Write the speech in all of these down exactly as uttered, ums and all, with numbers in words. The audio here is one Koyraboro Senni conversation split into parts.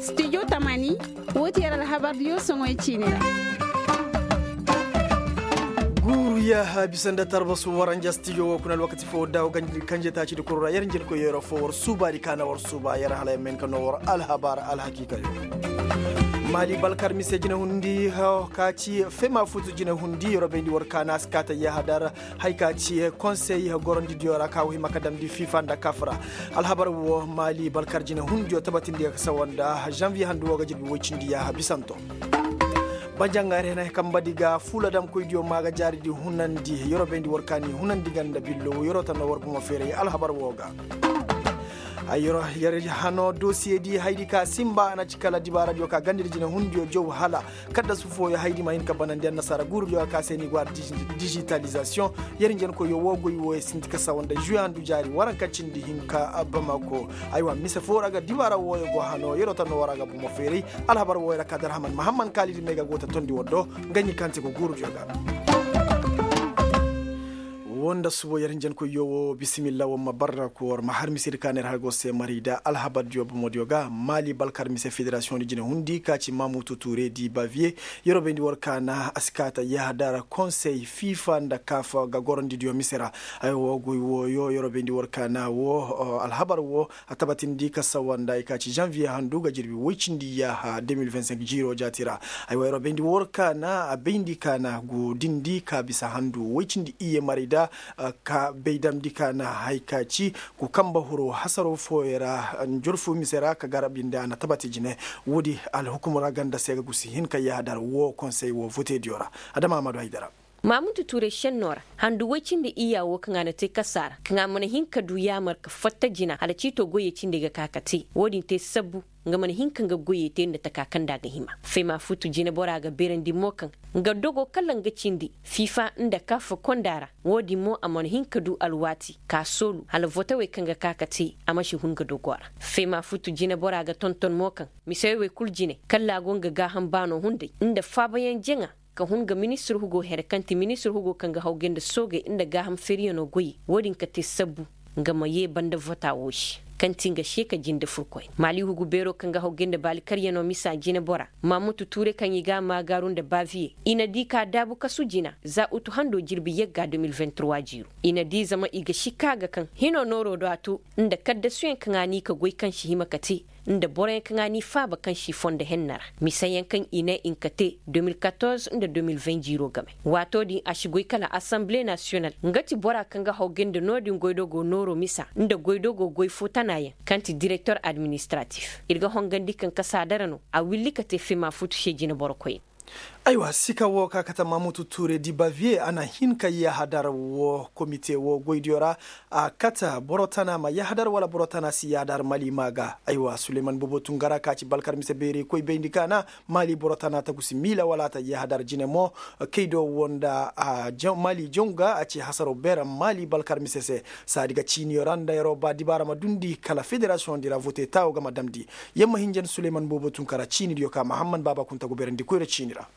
Studio tamani, wo ti yer alhabar diyo soŋoy ciine ra. Guuru yaaha bisa nda tarbasu waranja studio wo kuna alwakati fo daawo ganjir kanje taaci di kuru ra yer njelkoy yero fo war suubaadi kaana war suuba yer hala yer ma hin ka noo war alhabar alhakiika yo. Maali balkar mise jine hundi ka ci fema futu jine hundi yero bayndi war kaana a si kaata yaaha dar. Hay ka ci konsey gorandi diyo ra ka wo hima ka damndi fifa nda kaf ra. Alhabar wo maali balkar jine hundiyo tabatindi ka sawa nda janviye handu wo ga jirbi woy cindi yaaha bisanto. Banjangare na kambadi ga fuula damkoydiyo ma ga jaaridi hunandi yero bayndi war kaani hunandi ganda billo yero tanno war bomo feeray alhabar wo ga. Ay yero yer hano dosiyedi haydi ka simba a na ci kala dibaaradiyo ka gandidi jine hundiyo jow hala. Kaddasu fooyo haydi ma hin ka banandi annasaara guurudiyo ka se ni go har dijitalizasiyoŋ. Yer njenkoyyo wo goy wo ye sinti ka sawa nda juwe handu jaari waranka cindi hinka bamako. Aywa mise foo ra ga dibaara wooyo go hano yeroo ta noo war a ga bomo feeray. Alhabar wooyo ra ka dar haman mahamman kaalidi me ga go ta tondi war do. Nga ɲi kaŋ ti go guurudiyo ga. Wo nda subo yer njenkoyyo wo bisimilla war ma barra ko war ma har misedi ka neer har go se marida alhabardiyo bomodiyo ga maali balkar mise federasiyoŋ di jine hundi ka ci mamutu ture di baviye. Yeroo bayndi war kaana a si kaata yahadar konsey fifa nda kaf ga gorondidiyo mise ra. Ay wo goy wooyo yeroo bayndi war kaana wo alhabar wo a tabatindi ka sawa nda ay ka ci janviye handu ga jirbi woy cindi yaaha de mil vingt cinq jiiroo jaati ra. Ay wo yeroo bayndi war kaana a bayndi kaana go dindi ka bisa handu woy cindi iyye marayda. Ka bay damndi ka na hay ka ci go kamba huro hasaro fooyo ra njorfu mise ra ka garabi nda a na tabati jine. Woodi alhukum ra ganda se ga gusi hin ka yaadar wo konsey wo votediyo ra. Adama a ma du haydara. Maamutu tuuray šennoo ra handu woy cindi iyya wo kaŋ a na te kasa ra kaŋ a mana hin ka du yaamar ka fatta jina hala ciito goyey cindi ga ka ka te wo-din te sabbu. Nga mana hin ka nga goyey te nda taka kaŋ nda a ga hima fema futu jineboraa ga beerandi mo kaŋ nga dogo kala nga cindi fiifa nda kaafa konda ra. Wo-din mo a mana hin ka du alwaati k'a soolu hala votawey kaŋ ga ka ka te a ma si hun nga dogo ra. Fema futu jineboraa ga tonton mo kaŋ misewey kul jine kala a go nga gaaham baano hunday nda faabayaŋ jaŋa ka hun nga ministir hugo here kaŋ ti ministir hugo kaŋ ga hawgay nda soogey nda gaaham feeriyanoo goyey wo-din ka te sabbu nga ma yee banda vota woo se kaŋ ti nga seeka jinde furkoyna maali hugu beeroo kaŋ ga hawgay nda baali karyanoo misa jineboraa maamutu tuure kaŋ i ga a maagaaru nda baaviye. I na di ka daabu kasu jina za utu handoo jirbi yagga de mil vingt trois jiiru. I na di zama i ga si ka ga kaŋ hinoo nooroo do a too nda kaddasuyaŋ kaŋ a n'i ka goy kaŋ si hima ka te nda boroyaŋ kaŋ a n'i faaba kaŋ si fondo henna ra misayaŋ kaŋ i ne i nka te de mil katorze nda de mil vingt jiiroo game. Waatoo din a si goy kala asanbile nasiyonal nga ti boraa kaŋ ga hawgay nda noo din goydogoo nooroo misa nda goydogoo goy foo tanaayaŋ kaŋ ti direktor administratif ir ga hongandi kaŋ kasaadara no a willi ka te fema futu se jineborokoyna. Aywa sika woo ka kate maamutu tuure di baviye a na hin ka yahadar woo komite woo goydiyo ra. A kate boro tana ma yahadar wala boro tana si yahadar mali maa ga. Aywa suleyman boobo tungara ka ci balkar mise beerey koy bayndi ka na mali boro tana ta gusi miila wala a ta yahadar jine mo. Kaydo woo nda mali jaŋ ga a ci hasaroo beera mali balkar mise se. Saadi ga ciiniyo ra nda yeroo ba dibaara ma dundi kala federasiyoŋ di ra vote taawo ga ma damndi. Yer ma hinja nda suleyman boobo tun kara ciinidiyo ka mahamman baaba kunta go beerandi koyra ciini ra.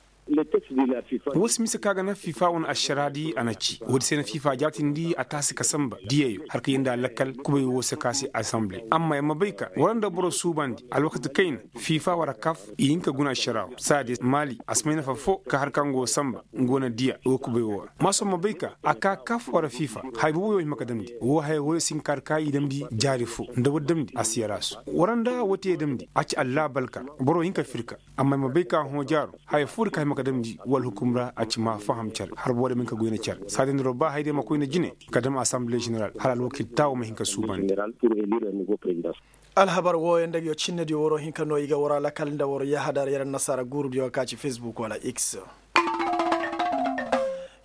Woo si mise ka ga naŋ fifa wane ašaraadi a na ci woodi se na fifa jaatindi a taasi ka sanba diyeyo har ka yee nda a lakkal kubay woo se ka se asanbile amma yer ma bay ka war nda boro suubandi alwakati kayna. Fifa wara kaf i hin ka guna ašaraawo saadi maali a si may nafa foo ka har ka nga woo sanba. Nga wane diya woo kubay woo ra ma sohõ ma bay ka a ka kaf wara fifa haya booboyo hima ka damndi woo haya wooyo si hin ka har ka i damndi jaari foo nda war damndi a si yaraasu war nda woo te damndi a ci allaabalka. Boro hin ka fir ka amma i ma bay ka hõ jaaro haya foo di ka hima ka damndi wala hukum ra a ci ma faham care har boro ma hin ka goyna care saadin diro ba haya di ma koyna jine ka dam asanbile ženeral hala alwakil taawo ma hin ka suubandi. Alhabar wooyo nda nga yoo cinnediyo waroo hin ka noo i ga waroo alakal nda waroo yahadar yer annasaara guurudiyo ka ci fesbuk wala x.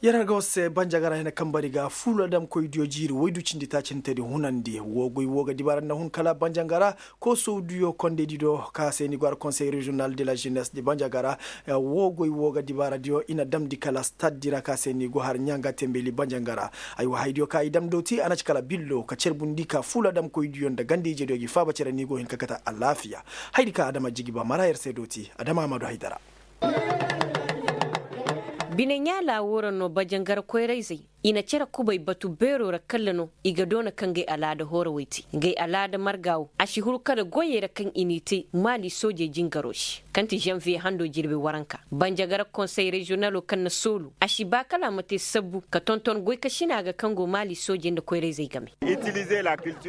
Yer har ga war se banjagara hina kambari ga fuula damkoydiyo jiiri woy du cindi taaci hintedi hunandi woo goy woo ga dibaara nda hun kala banjagara. Koosowdiyo kondeydi do ka se ni go har konsey reziyonal de la ženes di banjagara. Woo goy woo ga dibaaradiyo i na damndi kala staddi ra ka se ni go har ɲanga tembeli banjanga ra. Aywa haydiyo ka i dam dooti a na ci kala billo ka cerbundi ka fuula damkoydiyo nda ganda-ijediyo g'i faaba cere ni go hin ka kate alaafiya. Haydi ka adama jigi ba mara yer se dooti adama a ma du haydara. Bine ɲaalaa woo ra no banjangara koyrayzey. I na cere kubay batu beeroo ra kalla no i ga doona kaŋ gay alaada hoorawey te. Gay alaada marga wo a si huru kala goyey ra kaŋ i n'i te maali soojey jingaroo se, kaŋ ti zanviye hando jirbi waranka. Banjagara konsey reziyonaloo kaŋ na soolu a si ba kala a ma te sabbu ka tonton goykasina ga kaŋ go maali soojey nda koyra-izey game.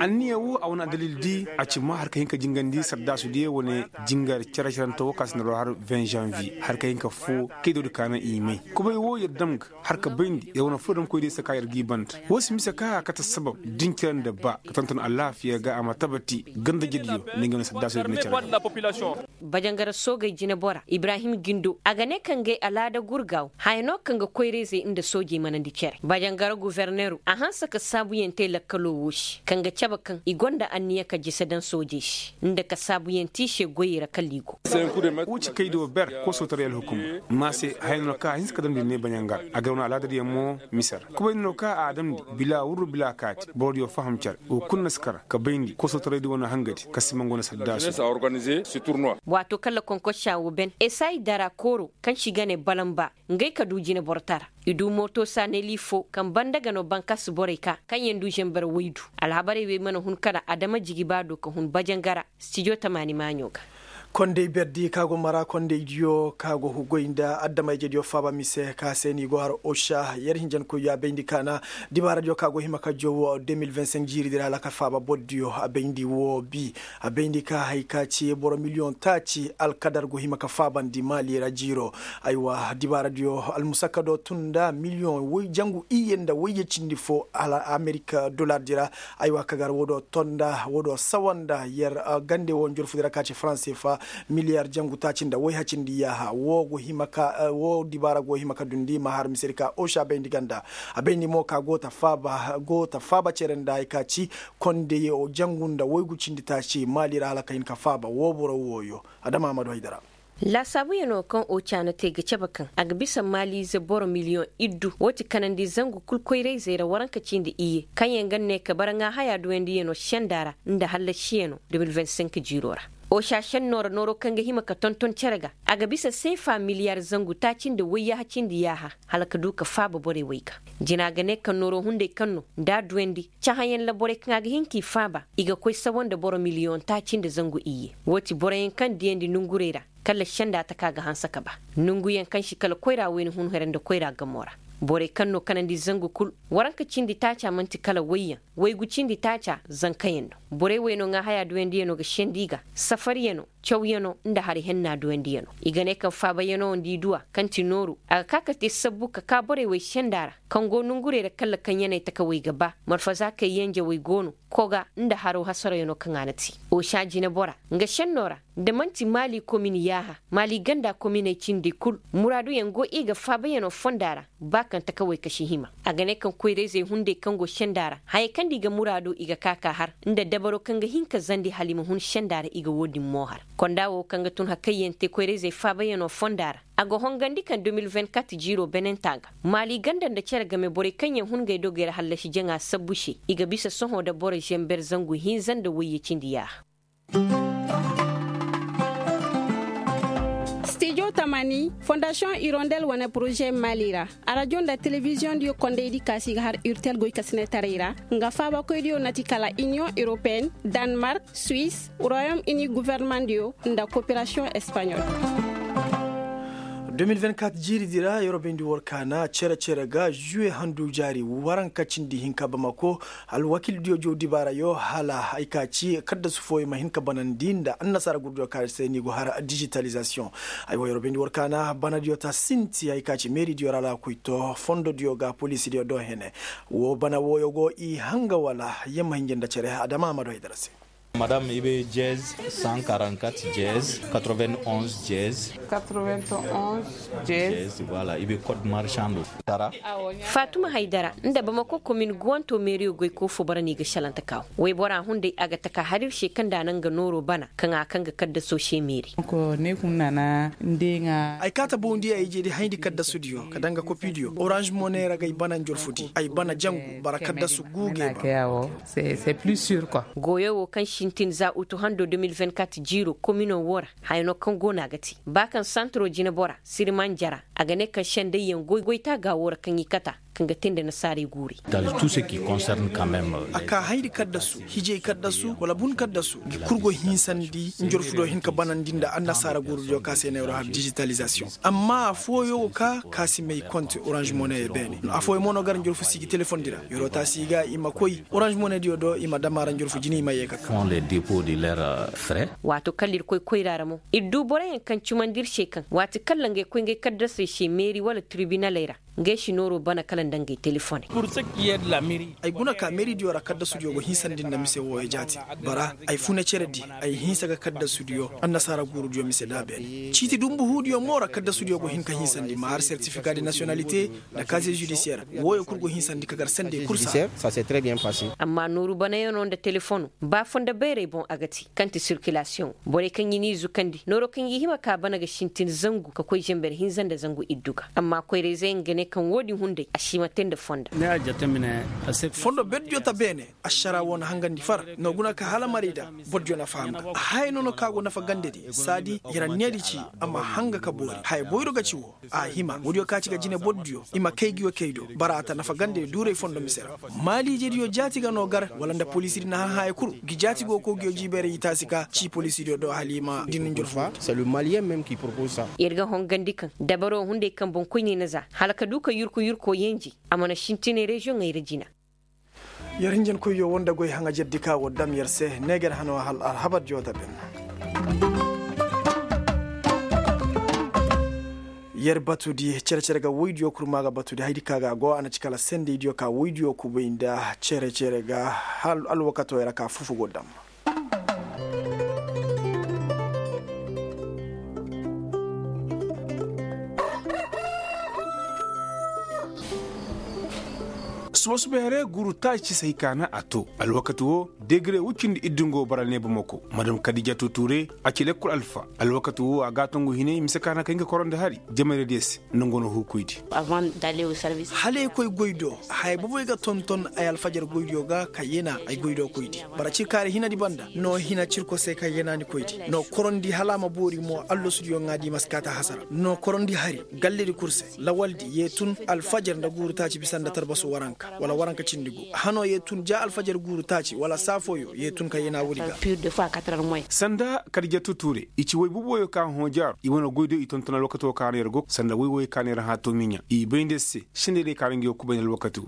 Anniya wo a wane adalil di a ci ma har ka hin ka jingandi sardaasu diyo wane jingar cere-cerante wo ka si na roo har vingt janviye har ka hin ka foo kaydoo di ka naŋ i may. Kubay wo yer dam ga har ka bayndi yer wane furo damkoy day se ka yer g'i banda. Wo si mise ka a kate sabab din cere nda ba ka tonton alaafiya ga a ma tabati ganda jediyo nda nga wane sardaasu diyo na cere. Bajangara soogey jinebora ibrahim gindo a ga ne kaŋ gay alaada gurgaaw haya no kaŋ ga koyra-izey nda soojey manandi cere bajangara guverneru a hanse ka saabuyaŋ te lakkaloo woo se kaŋ ga cabe kaŋ i gonda anniya ka jise daŋ soojey se nda ka saabuyaŋ te i se goyey ra kala i go. Woo ci kaydo ber koosoo taray alhukum ma se haya no kaŋ a hinse ka damndi ne bajangara a gar wane alaadadiyaŋ mo mise ra kubay no kaŋ a damndi bila wurru bila kaati borodiyo faham cere woo kulu na si kar ka bayndi koosoo taraydi wane hangadi ka si mangoo na sardaasu. Waatoo kaŋ la konkosca woo ben esay dara kooro kaŋ se i ga ne balamba ngey ka du jineboro tara i du mooto saaneli foo kaŋ banda ga no bankas borey ka kaŋyaŋ du zamber waydu alhabarey wey mana hun kala adama jigi ba do ka hun bajangara stijo tamaani maaɲo ga. Kondey berdi ka go mara kondey diyo ka go goy nda adama-ijediyo faaba mise ka se no i go har osa yer hinjankoydiyo a bayndi ka na dibaaradiyo ka go hima ka jow deux mille vingt cinq jiiri dira hala ka faaba bordiyo a bayndi woo bi a bayndi ka hay ka ci boro miliyoŋ taaci alkadar go hima ka faabandi maali ra jiiro. Aywa dibaaradiyo almusakado tun nda miliyoŋ jangu iyye nda wayye cindi fo hala amerik dolar dira. Aywa kagar woo do tonda woo do sawanda yer gande woo njorfudi ra ka ci faranse fa miliyar jangu taaci nda wayha cindi yaaha woo dibaara go hima ka dundi ma har misedi ka osa bayndi ganda. A bayndi mo ka go ta faaba cere nda hay ka ci kondey jangu nda waygu cindi taaci maali ra hala ka hin ka faaba woo boro wooyo. Adama amadu haydara. Laasaabuyanoo kaŋ oca na te ga cabe kaŋ a ga bisa maaliize boro miliyoŋ iddu woo ti kanandi zangu kul koyra-izey ra waranka cindi iyye kaŋyaŋ ga ne ka bara ŋaahayaa duwandiyano senda ra nda hallasiyanoo deux mille vingt cinq jiiroo ra. Oca sennoo ra nooroo kaŋ ga hima ka tonton cere ga a ga bisa seefa miliyar zangu taaci nda wayyaaha cindi yaaha hala ka du ka faaba borey wey ga. Jina ga ne kaŋ nooroo hunday kaŋ no nda a duwandi cahãyaŋ ra borey kaŋ a ga hin k'i faaba i ga koy sawa nda boro miliyoŋ taaci nda zangu iyye. Woo ti boroyaŋ kaŋ diyandi nongurey ra kala senda taka ga hanse ka ba nonguyaŋ kaŋ si kala koyra wayna hun here nda koyra gamoo ra. Borey kaŋ no kanandi zangu kul waranka cindi taaca man'ti kala wayyaŋ waygu cindi taaca zankayaŋ no. Borey wey no ŋaahayaa duwandiyanoo ga sendi i ga safaryanoo cawyanoo nda hari henna duwandiyanoo i ga ne kaŋ faabayanoo nda i duw'a kaŋ ti nooru a ga ka ka te sabbu ka ka borey wey senda ra kaŋ go nongurey ra kala kaŋ yanay takawey ga ba marfaza kay yanjawey go no koga nda haro hasarayanoo kaŋ a na te. Osa jinebora nga sennoo ra nda man'ti maali komin yaaha maali ganda kominey cindi kul muraaduyaŋ go i ga faabayanoo fonda ra ba kaŋ takawey kasi hima. A ga ne kaŋ koyra-izey hunday kaŋ go senda ra hayey kaŋ nda i ga muraadu i ga ka ka har nda dabaro kaŋ ga hin ka zandi hala i ma hun senda ra i ga woo din mo har. Konda woo kaŋ ga tun hakayyaŋ te koyra-izey faabayanoo fonda ra a ga hongandi kaŋ deux mille vingt-quatre jiiroo benenta ga maali ganda nda cere game borey kaŋyaŋ hun ngey dogey ra hallasi jaŋa sabbu se i ga bisa sohõ nda boro zamber zangu hinza nda wayye cindi yaaha. Stijo tamani fondasiyoŋ irondel wane poroze maali ra arajo nda telebiziyoŋ diyo kondaydi kaasi ga har urtel goykasinetaray ra nga faabakoydiyo na ti kala iniyoŋ europeen danmark, suwis, royom ini governemandiyo nda koperasiyoŋ espaɲol. Deux mille vingt-quatre jiiri di ra yeroo bayndi war kaana cere-cere ga juwe handu jaari waranka cindi hinka bamako alwakildiyo jow dibaarayo hala ay ka ci kaddasu fooyo ma hin ka banandi nda annasaara gurdiyo kaŋ a se ni go har dijitalizasiyoŋ. Ay wo yeroo bayndi war kaana banadiyo ta sinti ay ka ci meeridiyo ra alaakoy to fondodiyo ga poliisidiyo do hene. Wo bana wooyo go i hanga wala yamma hinja nda cere adama a ma do ay dara se. Madame i be jez cent quarante-quatre jez quatre-vingt-onze jez quatre-vingt-onze jez voilà i be code marchando tara. Fatuma haydara nda bamako komin guwanto meeriyo goy ko fo bara no i ga shalanta kaw. Waybora hunday a ga taka harir se kaŋ da a naŋ ga nooro bana kaŋ a kaŋ ga kaddaso se meeri. Ay kaata bawndi ay jeedi hayndi kaddasudiyo ka daŋ ga kopidiyo orange money ra ga ay bana njorfudi ay bana jangu bara kaddasu guuge ba. Goyo wo kaŋ sintin za utu hando deux mille vingt-quatre jiiro komino wo ra haya no kaŋ go no a ga te ba kaŋ santiro jinebora siriman jara a ga ne kaŋ sendayyaŋ goy goy taaga wo ra kaŋ i kata. Kaŋ ga te nda nasaarey guurey. A kaa hayri kaddasu, hijey kaddasu wala bun kaddasu, ngi kul go hinsandi njorfu do hin ka banandi nda annasaara guuru diyo ka se neeroo har dijitalizasiyoŋ. Amma affooyaŋ wo ka ka si may konte oranž money beene. Affooyaŋ mo no gar njorfu si gi telefoŋ di ra. Yeroo taasi i ga i ma koy oranž money diyo do i ma dam a ra njorfu jine i ma yee ka ka. Waato kaŋ ir koy koyra ra mo, ir du boroyaŋ kaŋ cumandi ir se kaŋ waati kaŋ ra ngey koy ngey kaddasey se meeri wala tiribinaley ra, ngey si nooroo bana kala nda ngey telefoney. Ay guna ka meeri diyo ra kaddasu diyo go hinsandi nda mise wooyo jaati. Bara ay funa cere di, ay hinsa ga kaddasu diyo annasaara guuru diyo mise da beene ciiti dumbu huu diyo mo ra kaddasu diyo go hin ka hinsandi ma har sertifika de nasiyonalite, nda kaze judisiyer. Wooyo kul go hinsandi ka gar sendey kul saa. Amma nooru banayanoo nda telefono, ba fondo bayray boŋ a ga te kaŋ ti sirkilasiyoŋo. Borey kaŋ i n'i zukandi nooro kaŋ i hima ka bana ga sintin zangu ka koy zember hinza nda zangu iddu ga. Amma koyrayzey nga ne kaŋ wo-din hunday a si hima te nda fondo. Fondo berdiyo ta beene. Ašara wo na hangandi far no guna ka hala marayda. Bordiyo na faham ga haya nono ka go nafa gandedi saadi. Yer anneedi ci a ma hanga ka boori haya boyro ga ci wo. A hima woodiyo ka ci ga jine bordiyo i ma kay ngi wo kay do. Bara a ta nafa gande duuray fondo mise ra. Maaliijediyo jaati ga no gar wala nda poliisidi na hã haya kul ngi jaati go kow ngiyo jiibayray i taasi ka ci poliisidiyo do hala i ma din njorfu. Yer ga hongandi kaŋ dabaroo hunday kaŋ boŋkoyney na za hala ka du ka yurku yurkoo yenji. A mana sintinay reziyoŋey ra jina. Yer hinjankoyyo wo nda goy haŋajerdi ka war dam yer se neeger hano hal alhabardiyo ta ben. Yer batudi cere-cere ga woydiyo kurma ga batudi haydi ka ga go a na ci kala sendeydiyo ka woydiyo kubay nda cere-cere ga hal alwakatoyo ra ka fufu go dam. Suba-suba here guuru taaci se hay ka na a to alwakati wo. Degre wucindi iddu nga wo bara neeba mako madam kadijatu ture. A ci lekkol alfa alwakati wo a gaatongu hinay mise ka na kay nga korondi hari jamayra diyo se. Nda nga no huukoydi. Hala ay koy goy do haya boboy ga tonton ay alfajar goydiyo ga ka yena ay goy do koydi. Bara cirkaari hinadi banda no hina cirko se ka yenaani koydi no korondi hala a ma boori mo allasudiyo ŋaadi maskaata hasara no korondi hari. Galledi kul se lawaldi ye tun alfajar nda guuru taaci bisa nda tarbasu waranka wala waranka cindi gu. Hano ye tun ja alfajar guuru taaci wala saafooyo ye tun ka yena woodi ga. Sanda kadijatu ture i ci woy boboyo ka hõ jaaru i wane goy do i tonton alwakato ka no yer go sanda woy woy ka no yer hã toomiɲa i bay nda yer se. Sendey day ka no nga yo kubay nda alwakato.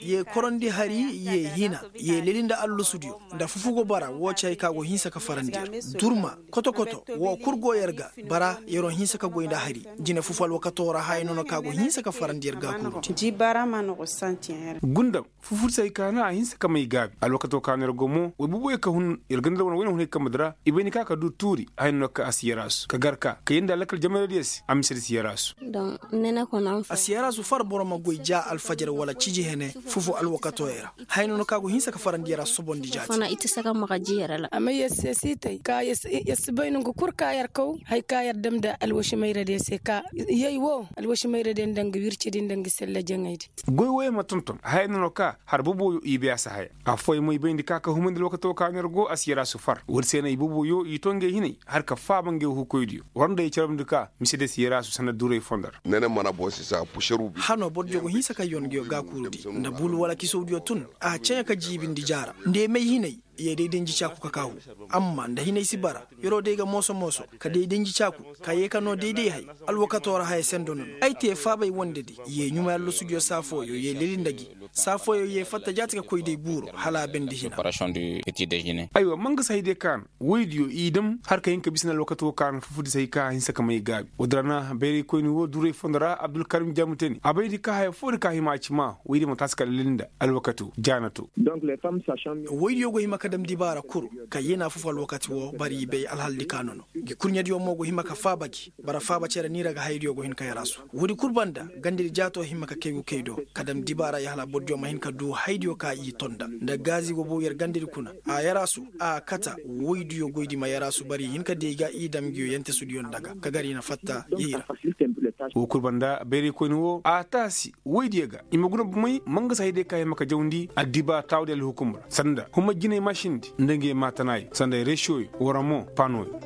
Ye korondi hari ye hina ye leli nda allasudiyo nda fufugo bara wo ci hay ka go hinsa ka farandi yer. Durma koto-koto wo kul go yer ga. Bara yeroo hinsa ka goy nda hari jine fufu alwakatoo ra haya nono ka go hinsa ka farandi yer ga kul. Gundam fufudi se hay ka na a hinsa ka may gaabi alwakatoo ka no yer go mo woy bubuwey ka hun yer ganda wane woy na hun hay kambe di ra i bay ni ka ka du tuuri haya nono ka a si yer a su ka gar ka ka yenda lakkal jamayra diyo se a mise di si yer a su. A si yer a su far boro ma goy ja alfajar wala ciji hene fufu alwakatooyo ra. Haya nono ka go hinsa ka farandi yer a sobondi jaati. Amma yer se si tay ka yer si bay nongu kul ka yer kaw hay ka yer dam nda alwasimayra diyo se ka yay wo alwasimayra diyo nda nga wircidi nda nga sella jaŋaydi. Goy woyo ma tonton haya nono ka har boboyo i bay a si haya. Affooyaŋ mo i bayndi ka ka humandi alwakato ka no yer go a si yer a su far woodi se no i boboyo i to ngey hinay har ka faaba ngey huukoydiyo war nda i carabndi ka mise diyo si yer a su sanda duuray fondo ra. Hano bordiyo go hinsa ka yon nguyo gaakuurudi nda bulu wala kisowdiyo tun a ceɲa ka jiibindi jaara nda i may hinay. Ye day denji caaku ka kaahu amma nda hinay si bara yeroo day ga mooso-mooso ka day denji caaku ka yee ka noo day-day hay. Alwakatoo ra haya sendo no no ay tee faabay wondedi ye ɲumay allasudiyo saa fooyo ye leli nda gi saa fooyo ye fatta jaati ka koy day buuro hala a bendi hina. Aywa mangasa hay day ka na woydiyo i dam har ka hin ka bisa nda alwakatoo ka na fufudi se hay ka a hinsa ka may gaabi woodi ra na bayraykoyni woo duray fondo ra abdulkarim jaamutani a bay di ka haya foodi ka hima a ci maa woydiyo ma taasi ka leli nda alwakatoo jaanato. Woydiyo go hima ka dam dibaara kul ka yena fufu alwakati woo bara i bay alhaldi ka nono. Ngi kurɲediyo mo go hima ka faaba gi bara faaba cere niira ga hayadiyo go hin ka yaraasu woodi kul banda gandedi jaatoo hima ka kay gu kay do ka dam dibaara ya hala bordiyo ma hin ka duu hayadiyo ka i tonda nda gaazi go bow yer gandedi kuna a yaraasu a kata woydiyo goydi ma yaraasu bara i hin ka dii ga i dam ngiyo yentasudiyo nda ga ka gar i na fatta yey ra. Woo kul banda bayraykoyni woo a taasi woydiyo ga i ma guna bomey mangasa hayadiyo ka hima ka jawndi addiba taawudi alhukum ra sanda huma jiney mašindi nda ngiyo maatanaayo sanda resiyoyo wara mo paanoyo.